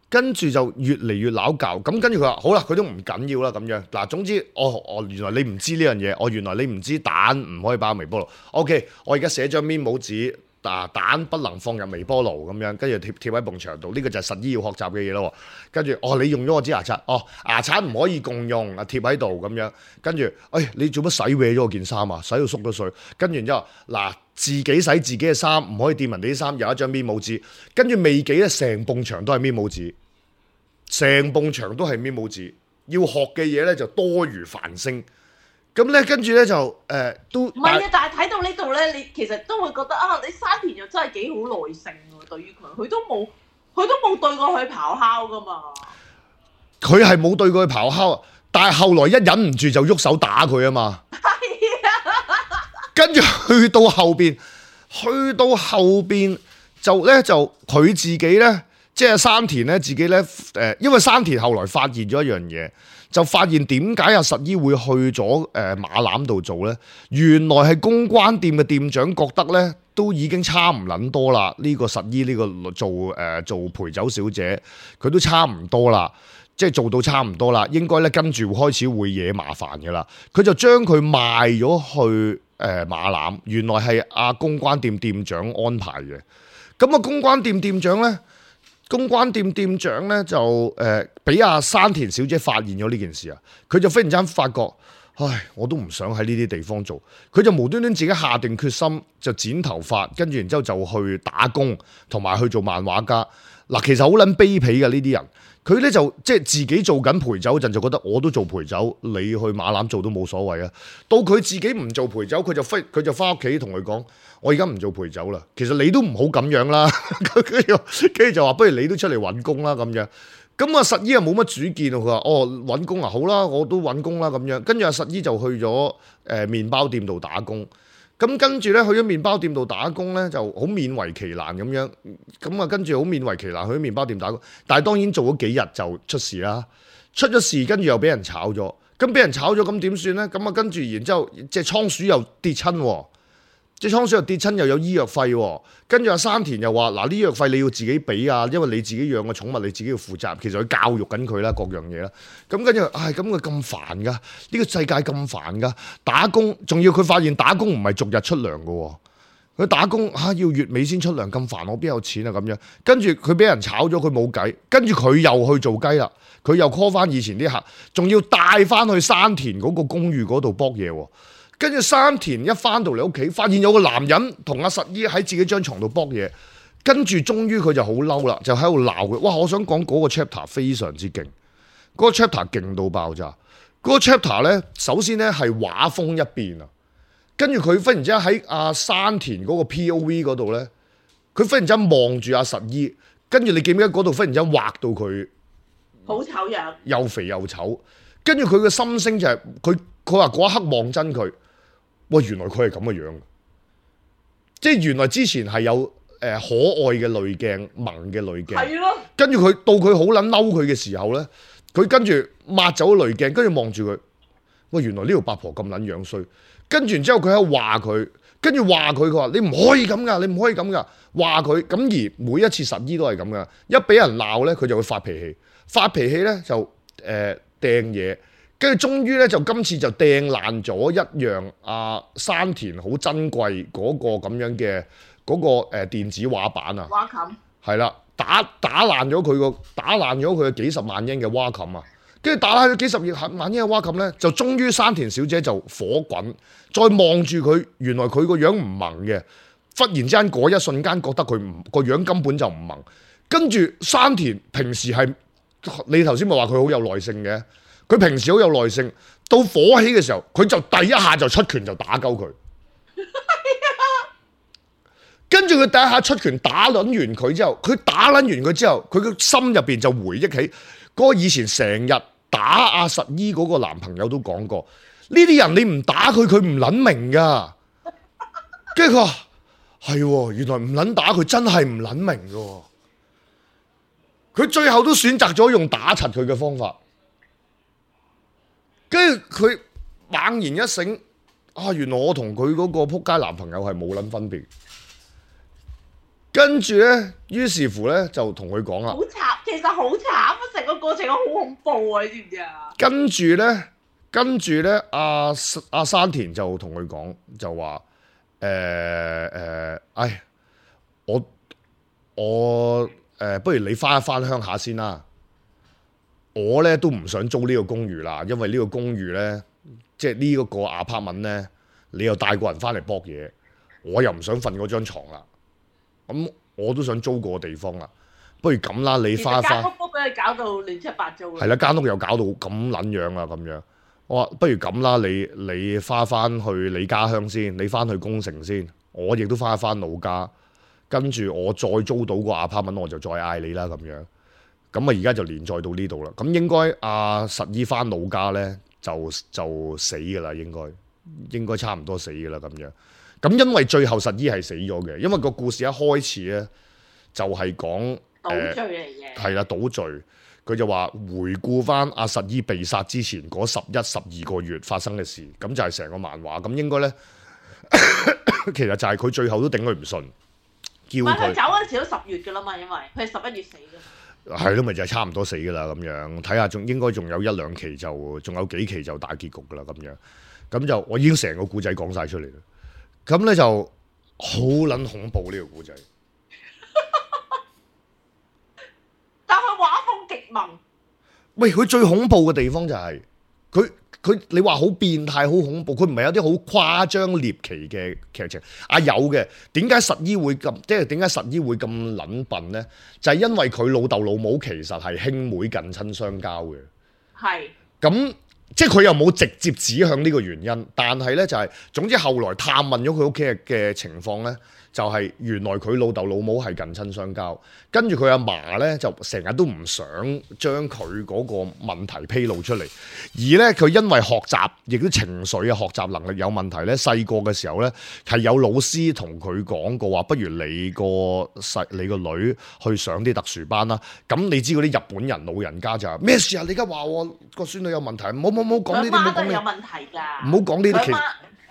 跟住就越嚟越鬧交，咁跟住佢話好啦，佢都唔緊要啦咁樣。嗱，總之原來你唔知呢樣嘢，原來你唔知蛋唔可以擺入微波爐。OK，我而家寫張面冇紙，蛋不能放入微波爐咁樣，跟住貼喺埲牆度。呢個就係實姨要學習嘅嘢咯。跟住你用咗我支牙刷，牙刷唔可以共用，貼喺度咁樣。跟住，你做乜洗歪咗我件衫啊？洗到縮咗水。跟住然之後，嗱。自己洗自己嘅衫，唔可以掂人哋啲衫，有一張面冇紙，跟住未幾咧，成埲牆都係面冇紙，成埲牆都係面冇紙，要學嘅嘢咧就多如繁星，咁咧跟住咧就都唔係啊，但係睇到呢度咧，你其實都會覺得你山田又真係幾好耐性喎，對於佢都冇對過佢咆哮噶嘛，佢係冇對過佢咆哮，但係後來一忍唔住就喐手打佢啊嘛。跟住去到後邊就佢自己咧，即係山田咧自己咧，因為山田後來發現咗一樣嘢，就發現點解阿實姨會去咗馬攬度做呢？原來係公關店嘅店長覺得呢都已經差唔撚多啦。呢、個實姨呢個做陪酒小姐，佢都差唔多啦，即係做到差唔多啦，應該呢跟住開始會惹麻煩嘅啦。佢就將佢賣咗去馬攬，原來係阿公關店店長安排嘅。咁啊，公關店店長呢就俾阿山田小姐發現咗呢件事啊，佢就忽然之間發覺，唉，我都唔想喺呢啲地方做，佢就無端端自己下定決心就剪頭髮，跟住然之後就去打工，同埋去做漫畫家。嗱，其實好撚卑鄙嘅呢啲人，佢咧就即係自己做緊陪酒嗰陣就覺得我都做陪酒，你去馬攬做都冇所謂啊。到佢自己唔做陪酒，佢就翻屋企同佢講：我而家唔做陪酒啦。其實你都唔好咁樣啦。跟住就話：不如你都出嚟揾工啦咁樣。咁啊，實姨又冇乜主見，佢話：哦，揾工啊，好啦，我都揾工啦咁樣。跟住阿實姨就去咗麵包店度打工。咁跟住咧去咗麵包店度打工咧，就好勉為其難咁樣。咁啊，跟住好勉為其難去咗麵包店打工，但係當然做咗幾日就出事啦。出咗事，跟住又俾人炒咗。咁俾人炒咗，咁點算咧？咁啊，跟住然之後，隻倉鼠又跌親喎。隻倉鼠又跌親，又有醫藥費喎。跟住阿山田又話：嗱，呢藥費你要自己俾啊，因為你自己養嘅寵物，你自己要負責。其實佢教育緊佢啦，各樣嘢啦。咁跟住，唉，咁佢咁煩噶，呢個世界咁煩噶，打工仲要佢發現打工唔係逐日出糧噶喎。佢打工要月尾先出糧，咁煩，我邊有錢啊咁樣。跟住佢俾人炒咗，佢冇計。跟住佢又去做雞啦，佢又 call 翻以前啲客，仲要帶翻去山田嗰個公寓嗰度卜嘢喎。跟住山田一翻到嚟屋企，發現有個男人同阿實姨喺自己張床度卜嘢，跟住終於佢就好嬲啦，就喺度鬧佢。哇！我想講嗰個 chapter 非常之勁，嗰個 chapter 勁到爆炸。嗰個 chapter 咧，首先咧係畫風一變啊，跟住佢忽然之間喺阿山田嗰個 POV 嗰度咧，佢忽然之間望住阿實姨，跟住你記唔記得嗰度忽然之間畫到佢好醜樣，又肥又醜，跟住佢嘅心聲就係佢話嗰一刻望真佢。喂，原來佢係咁嘅樣，即係原來之前係有可愛嘅濾鏡、萌嘅濾鏡，係咯。跟住佢到佢好撚嬲佢嘅時候咧，佢跟住抹走濾鏡，跟住望住佢。喂，原來呢條八婆咁撚樣衰，跟住然之後佢喺度話佢，跟住話佢話你唔可以咁噶，你唔可以咁噶，話佢咁而每一次實姨都係咁噶，一俾人鬧咧佢就會發脾氣，發脾氣咧就掟嘢。跟住終於咧就今次就掟爛咗一樣山田好珍貴嗰個咁樣嘅嗰個電子畫板啊，畫琴係啦，打爛咗佢嘅幾十萬英嘅畫琴啊，跟住打爛咗幾十萬英嘅畫琴咧，就終於山田小姐就火滾，再望住佢，原來佢個樣唔萌嘅，忽然之間嗰一瞬間覺得佢唔個樣根本就唔萌，跟住山田平時係你頭先咪話佢好有耐性嘅。佢平時好有耐性，到火起嘅時候，佢就第一下就出拳就打鳩佢。跟住佢第一下出拳打撚完佢之後，佢個心入邊就回憶起嗰個以前成日打阿實姨嗰個男朋友都講過，呢啲人你唔打佢，佢唔撚明噶。跟住佢話係喎，原來唔撚打佢真係唔撚明噶。佢最後都選擇咗用打柒佢嘅方法。跟住佢猛然一醒，原來我同佢嗰個撲街男朋友係冇撚分別。跟住咧，於是乎咧就同佢講啦。好慘，其實好慘啊！成個過程好恐怖啊！你知唔知啊？跟住咧，阿山田就同佢講，就話我不如你翻一翻鄉下先啦。我咧都唔想租呢個公寓啦，因為呢個公寓咧，即係呢一個apartment咧，你又帶個人翻嚟搏嘢，我又唔想瞓嗰張床啦。咁我都想租個地方啦。不如咁啦，你翻一翻。間屋俾你搞到亂七八糟。係啦，間屋又搞到咁撚樣啦，咁樣。我話不如咁啦，你翻去你家鄉先，你翻去宮城先，我亦都翻一翻老家，跟住我再租到個apartment，我就再嗌你啦，咁樣。咁啊，而家就連載到呢度啦。咁應該實姨翻老家咧，就死噶啦，應該差唔多死噶啦咁樣。咁因為最後實姨係死咗嘅，因為個故事一開始咧就係講倒敘嚟嘅，係啦，倒敘。佢就話回顧翻阿實伊被殺之前嗰11、12個月發生嘅事，咁就係成個漫畫。咁應該咧，其實就係佢最後都頂佢唔順，叫佢唔係佢走嗰陣時都10月㗎啦嘛，因為佢係11月死㗎。係咯，咪就係差唔多死㗎啦咁樣。睇下應該仲有1-2期仲有幾期就大結局㗎啦咁樣。咁就我已經成個故仔講晒出嚟啦。咁咧就好撚恐怖呢個故仔。但佢畫風極萌。喂，佢最恐怖嘅地方就係佢你話好變態好恐怖，佢唔係有啲好誇張獵奇嘅劇情啊，有嘅。點解實依會咁？即係點解實依會咁撚笨咧？就係因為佢老豆老母其實係兄妹近親相交嘅。係。咁即係佢又冇直接指向呢個原因，但係咧就係總之後來探問咗佢屋企嘅情況咧。就係原來佢老豆老母係近親相交，跟住佢阿嫲咧就成日都唔想將佢嗰個問題披露出嚟，而咧佢因為學習亦都情緒啊學習能力有問題咧，細個嘅時候咧係有老師同佢講過話，不如你個女去上啲特殊班啦。咁你知嗰啲日本人老人家就話咩事啊？你而家話我個孫女有問題，唔好講呢啲，唔好講呢啲，有問題㗎，唔好講呢啲。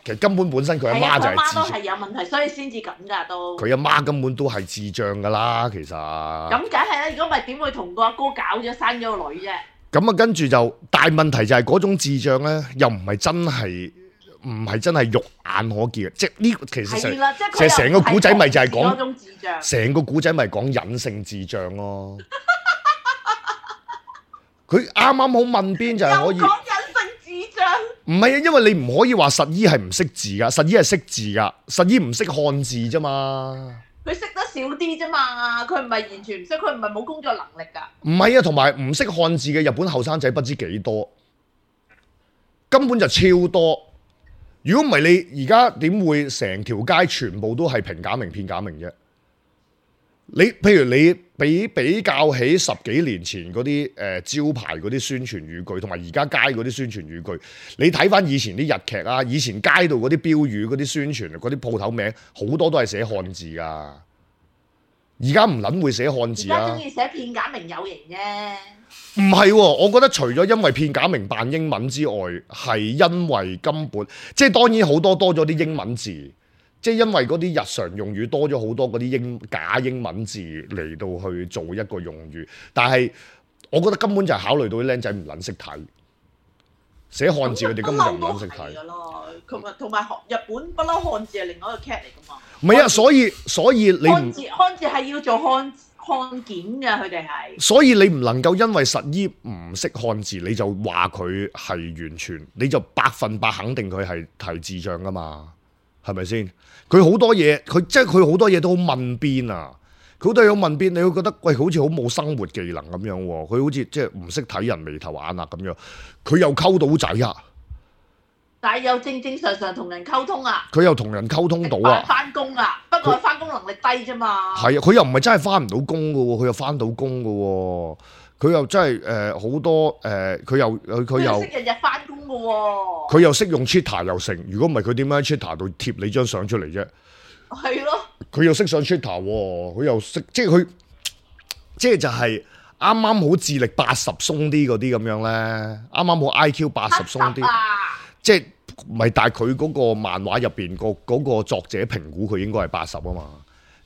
其實根本本身佢阿媽就係智障，佢媽都係有問題，所以先至咁㗎都。佢阿媽根本都係智障㗎啦，其實。咁梗係啦，如果唔係點會同個阿哥搞咗生咗個女啫？咁啊，跟住就大問題就係嗰種智障咧，又唔係真係肉眼可見嘅，即係呢個其實成個古仔咪就係講成個古仔咪講隱性智障咯。佢啱啱好問邊就係可以。唔係啊，因為你唔可以話實依係唔識字噶，實依係識字噶，實依唔識漢字啫嘛。佢識得少啲啫嘛，佢唔係完全唔識，佢唔係冇工作能力噶。唔係啊，同埋唔識漢字嘅日本後生仔不知幾多，根本就超多。如果唔係你而家點會成條街全部都係平假名片假名啫？譬如你比較起10幾年前嗰啲招牌嗰啲宣傳語句，同埋而家街嗰啲宣傳語句，你睇翻以前啲日劇啊，以前街道嗰啲標語、嗰啲宣傳、嗰啲鋪頭名，好多都係寫漢字噶。而家唔撚會寫漢字啊！而家中意寫片假名有型啫。唔係喎，我覺得除咗因為片假名扮英文之外，係因為根本即係當然好多咗啲英文字。即係因為嗰啲日常用語多咗好多嗰啲假英文字嚟到去做一個用語，但係我覺得根本就係考慮到啲僆仔唔撚識睇，寫漢字佢哋根本就唔撚識睇。同埋日本不嬲漢字係另外一個 cat 嚟㗎嘛。唔係啊，所以你漢字係要做漢檢㗎，佢哋係。所以你唔能夠因為實依唔識漢字，你就話佢係完全，你就100%肯定佢係智障㗎嘛？係咪先？佢好多嘢，佢好多嘢都好問邊啊！佢好多嘢好問邊，你會覺得喂，好似好冇生活技能咁樣喎。佢好似即係唔識睇人眉頭眼啊咁樣。佢又溝到仔啊！但係又正常同人溝通啊！佢又同人溝通到啊！翻工啊！不過佢翻工能力低啫嘛。係啊！佢又唔係真係翻唔到工㗎喎，佢又翻到工㗎喎。佢又真係好多佢又識日日翻工嘅喎，佢又識用 Twitter 又成。如果唔係佢點樣喺 Twitter 度貼你張相出嚟啫？係咯，佢又識上 Twitter 喎，佢又識即係就係啱啱好智力80鬆啲嗰啲咁樣咧，啱啱好 IQ 80鬆啲，即係唔係？但係佢嗰個漫畫入邊嗰個作者評估佢應該係80啊嘛。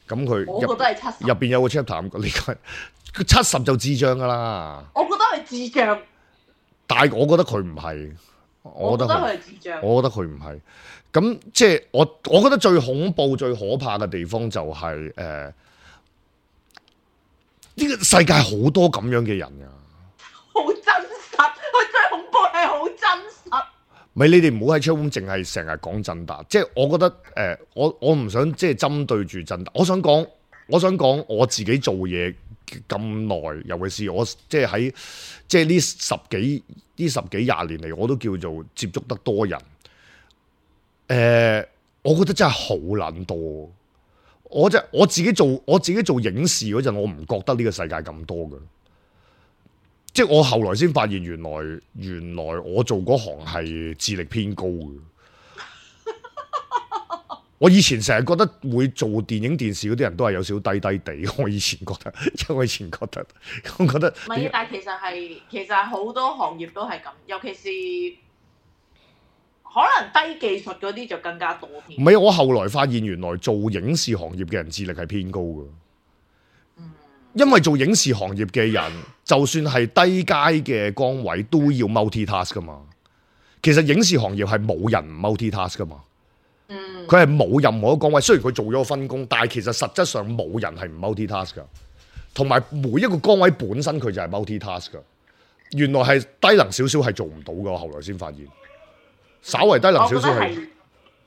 咁佢我覺得係70入邊有個 chapter 咁講，佢70就智障噶啦。我覺得係智障，但係我覺得佢唔係，我覺得佢係智障，我覺得佢唔係。咁即係我覺得最恐怖、最可怕嘅地方就係呢個世界好多咁樣嘅人啊，好真實。佢最恐怖係好真實。咪你哋唔好喺 channel 淨係成日講振達，即係我覺得我唔想即係針對住振達，我想講我自己做嘢咁耐，尤其是我即係喺即係呢十幾20年嚟，我都叫做接觸得多人。我覺得真係好撚多。我自己做影視嗰陣，我唔覺得呢個世界咁多嘅。即係我後來先發現，原來我做嗰行係智力偏高嘅。我以前成日覺得會做電影電視嗰啲人都係有少少低低地，我以前覺得，我覺得，唔係，但係其實係好多行業都係咁，尤其是可能低技術嗰啲就更加多添。唔係，我後來發現原來做影視行業嘅人智力係偏高嘅。因為做影視行業嘅人，就算係低階嘅崗位都要 multitask 噶嘛。其實影視行業係冇人唔 multitask 噶嘛。佢係冇任何一個崗位，雖然佢做咗個分工，但係其實實質上冇人係唔 multitask 噶。同埋每一個崗位本身佢就係 multitask 噶。原來係低能少少係做唔到噶，我後來先發現。稍為低能少少係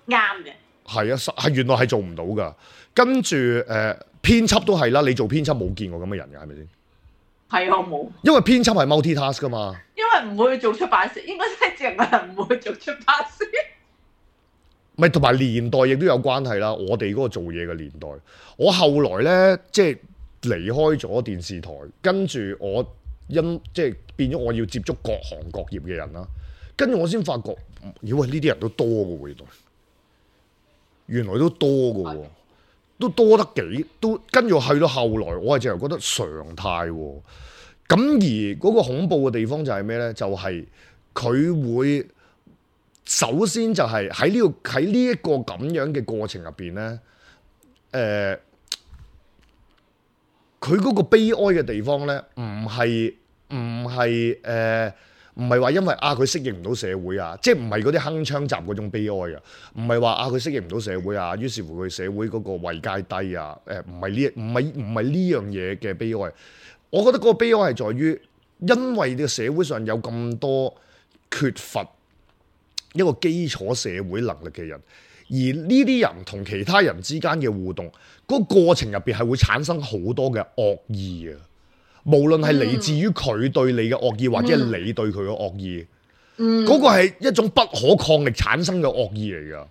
啱嘅。係啊，係原來係做唔到噶。跟住編輯都係啦，你做編輯冇見過咁嘅人嘅係咪先？係我冇。因為編輯係 multitask 噶嘛。因為唔會做出版社，應該真係正嘅人唔會做出版社。咪同埋年代亦都有關係啦。我哋嗰個做嘢嘅年代，我後來呢，即係離開咗電視台，跟住我即係變咗我要接觸各行各業嘅人啦。跟住我先發覺，咦喂，呢啲人都多嘅喎，原來都多嘅喎，都多得幾都。跟住去到後來，我係淨係覺得常態喎。咁而嗰個恐怖嘅地方就係咩呢？就係佢會。首先就係喺呢一個咁樣嘅過程入邊咧，佢嗰個悲哀嘅地方咧，唔係話因為佢適應唔到社會啊，即係唔係嗰啲鏗鏘集嗰種悲哀啊，唔係話佢適應唔到社會啊，於是乎佢社會嗰個位階低啊，唔係呢樣嘢嘅悲哀。我覺得嗰個悲哀係在於，因為呢個社會上有咁多缺乏一個基礎社會能力嘅人，而呢啲人同其他人之間嘅互動，嗰個過程入邊係會產生好多嘅惡意啊！無論係嚟自於佢對你嘅惡意，或者係你對佢嘅惡意，嗰個係一種不可抗力產生嘅惡意嚟㗎。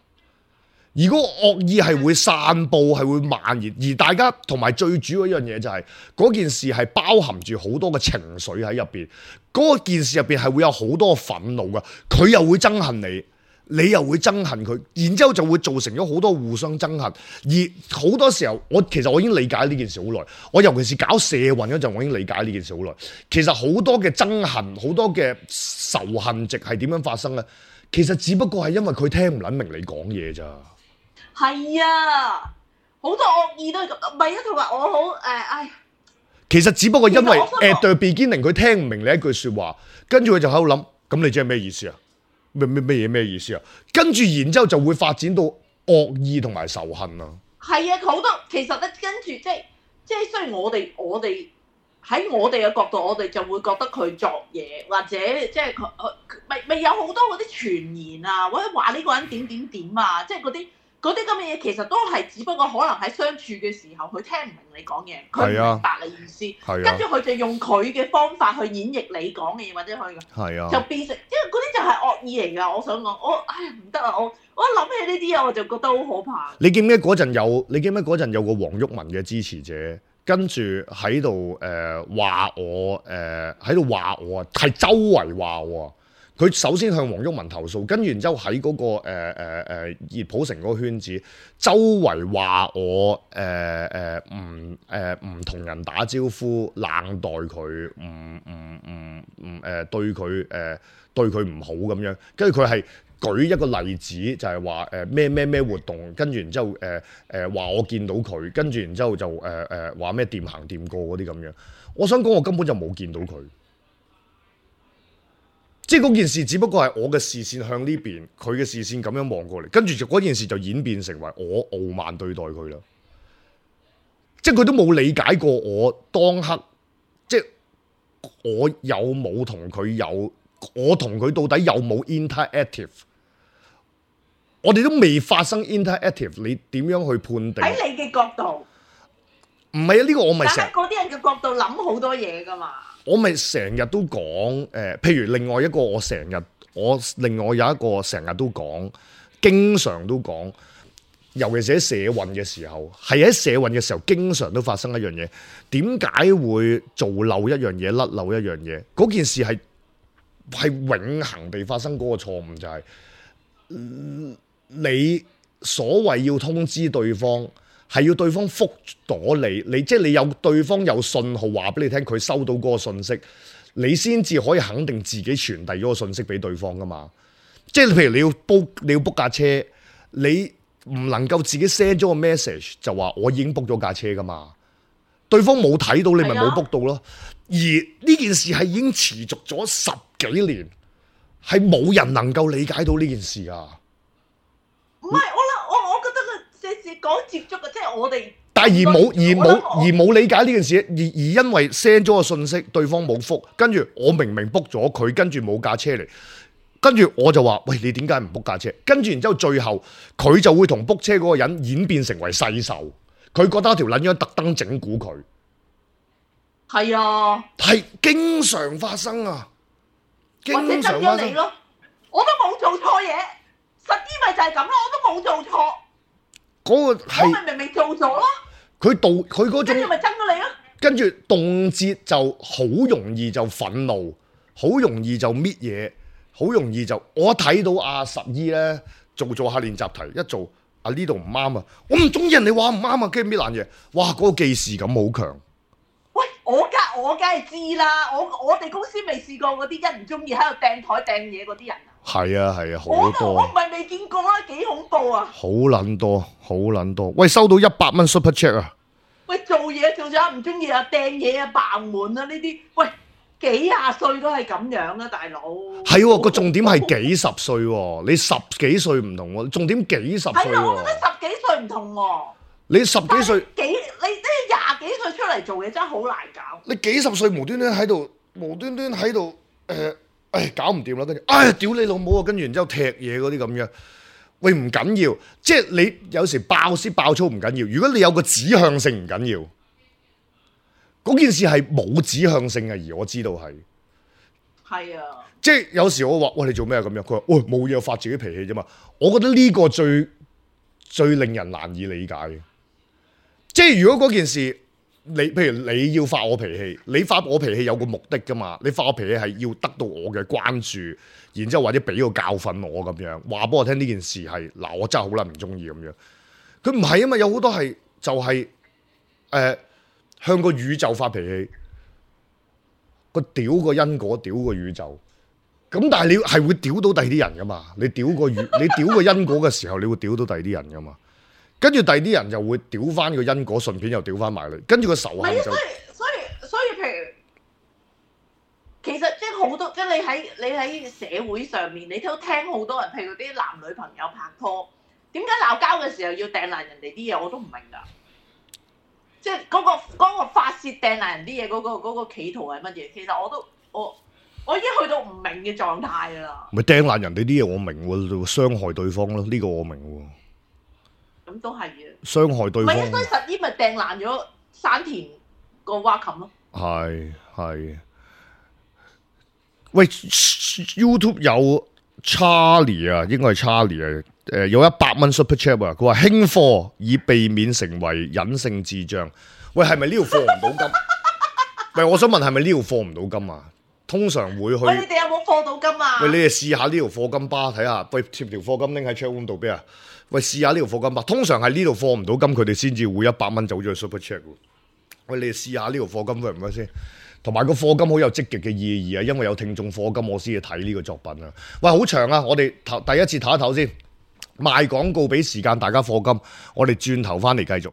而嗰個惡意係會散佈，係會蔓延，而大家同埋最主要一樣嘢就係嗰件事係包含住好多嘅情緒喺入邊。嗰件事入邊係會有好多憤怒㗎，佢又會憎恨你，你又會憎恨佢，然之後就會造成咗好多互相憎恨。而好多時候，其實我已經理解呢件事好耐。我尤其是搞社運嗰陣，我已經理解呢件事好耐。其實好多嘅憎恨，好多嘅仇恨值係點樣發生咧？其實只不過係因為佢聽唔撚明你講嘢咋。係啊，好多惡意都係咁，唔係啊，同埋我好其實只不過因為 at the beginning 佢聽唔明你一句説話，跟住佢就喺度諗，咁你即係咩意思啊？咩意思啊？跟住然之後就會發展到惡意同埋仇恨啊。係啊，好多其實咧，跟住即係雖然我哋喺我哋嘅角度，我哋就會覺得佢作嘢，或者即係佢咪有好多嗰啲傳言啊，或者話呢個人點啊，即係嗰啲咁嘅嘢，其實都係只不過可能喺相處嘅時候，佢聽唔明你講嘢，佢唔明白你意思，跟住佢就用佢嘅方法去演繹你講嘅嘢，或者佢就變成，因為嗰啲就係惡意嚟㗎。我想講，唔得啊！我一諗起呢啲嘢，我就覺得好可怕。你記唔記得嗰陣有個黃毓民嘅支持者，跟住喺度話我喺度話我係周圍話我。佢首先向黃毓民投訴，跟住然之後喺嗰個熱普城嗰個圈子，周圍話我唔同人打招呼，冷待佢，對佢唔好咁樣。跟住佢係舉一個例子，就係話咩活動，跟住然之後話我見到佢，跟住然之後就話咩掂行掂過嗰啲咁樣。我想講我根本就冇見到佢。即係嗰件事，只不過係我嘅視線向呢邊，佢嘅視線咁樣望過嚟，跟住嗰件事就演變成為我傲慢對待佢啦。即係佢都冇理解過我當刻，即係我有冇同佢我同佢到底有冇 interactive？ 我哋都未發生 interactive， 你點樣去判定？喺你嘅角度，唔係啊？呢個我咪成日喺嗰啲人嘅角度諗好多嘢㗎嘛。我咪成日都講譬如另外一個另外有一個成日都講，經常都講，尤其是喺社運嘅時候，係喺社運嘅時候，經常都發生一樣嘢。點解會做漏一樣嘢、甩漏一樣嘢？嗰件事係永恆地發生嗰個錯誤，就係你所謂要通知對方，係要對方覆咗你即係你有對方有信號話俾你聽，佢收到嗰個信息，你先至可以肯定自己傳遞咗個信息俾對方噶嘛。即係譬如你要 book 架車，你唔能夠自己 send 咗個 message 就話我已經 book 咗架車噶嘛，對方冇睇到你咪冇 book 到咯。而呢件事係已經持續咗10幾年，係冇人能夠理解到呢件事啊。唔係我覺得個講接觸嘅，即係我哋。但係而冇理解呢件事，而因為 send 咗個信息，對方冇覆，跟住我明明 book 咗佢，跟住冇架車嚟，跟住我就話：喂，你點解唔 book 架車？跟住然之後最後佢就會同 book 車嗰個人演變成為世仇，佢覺得條撚樣特登整蠱佢。係啊，係經常發生啊，經或者常發生。你咯，我都冇做錯嘢，實啲咪就係咁咯，我都冇做錯。嗰個我係咪明明做咗咯，佢嗰種跟住咪憎咗你咯。跟住動輒就好容易就憤怒，好容易就搣嘢，好容易就我睇到阿十姨咧做下練習題，一做呢度唔啱啊，我唔中意人哋話唔啱啊，跟住搣爛嘢，哇！嗰個記事感好強。喂，我梗係知啦，我哋公司未試過嗰啲一唔中意喺度掟台掟嘢嗰啲人啊。係啊，好我多。唔係未見過啦，幾恐怖啊！好撚多。喂，收到100蚊 Super Chat 啊！喂，做嘢做咗唔中意啊，掟嘢啊，爆門啊呢啲，喂，幾廿歲都係咁樣啊，大佬。係喎，個重點係幾十歲喎，你10幾歲唔同喎，重點幾十歲喎。係啊，我覺得10幾歲唔同喎。你10幾歲，你20幾歲出嚟做嘢真係好難搞。你幾十歲無端端喺度搞唔掂啦，跟住屌你老母啊，跟住然之後踢嘢嗰啲咁樣，喂唔緊要，即係你有時爆粗唔緊要，如果你有個指向性唔緊要，嗰件事係冇指向性嘅，而我知道係。係啊，即係有時我話喂，你做咩啊咁樣，佢話喂冇嘢，發自己脾氣啫嘛。我覺得呢個最令人難以理解嘅，即係如果嗰件事。譬如你要發我脾氣，你發我脾氣有個目的噶嘛？你發我脾氣係要得到我嘅關注，然之後或者俾個教訓我咁樣，話俾我聽呢件事係嗱，我真係好撚唔中意咁樣。佢唔係啊嘛，有好多係就係向個宇宙發脾氣，個屌個因果，屌個宇宙。咁但係你係會屌到第二啲人噶嘛？你屌個因果嘅時候，你會屌到第二啲人噶嘛？跟住第二啲人就會屌翻個因果，順便又屌翻埋你，跟住個仇恨就。所以譬如，其實即係好多，即係你喺社會上面，你都聽好多人，譬如啲男女朋友拍拖，點解鬧交嘅時候要掟爛人哋啲嘢，我都唔明㗎。即係嗰個發泄掟爛人啲嘢，嗰個企圖係乜嘢？其實我已經去到唔明嘅狀態啦。咪掟爛人哋啲嘢，我明喎，傷害對方咯，呢個我明喎。咁都係嘅，傷害對方。唔係，所以實啲咪掟爛咗山田個蛙琴咯。係。喂 ，YouTube 有 Charlie 啊，應該係 Charlie 啊。有100蚊 Super Chat 啊，佢話輕貨以避免成為隱性智障。喂，係咪呢條貨唔到金？喂，我想問係咪呢條貨唔到金啊？通常會去。喂，你哋有冇貨到金啊？喂，你哋試下呢條貨金巴睇下，喂，貼條貨金拎喺 chat room 度俾啊！喂，試下呢條貨金巴，通常係呢度貨唔到金，佢哋先至會100蚊走咗去 Super Chat。喂，你哋試下呢條貨金 work 唔 work 先？同埋個貨金好有積極嘅意義啊，因為有聽眾貨金，我先至睇呢個作品啊。喂，好長啊，我哋第一次唞一唞先，賣廣告俾時間大家貨金，我哋轉頭翻嚟繼續。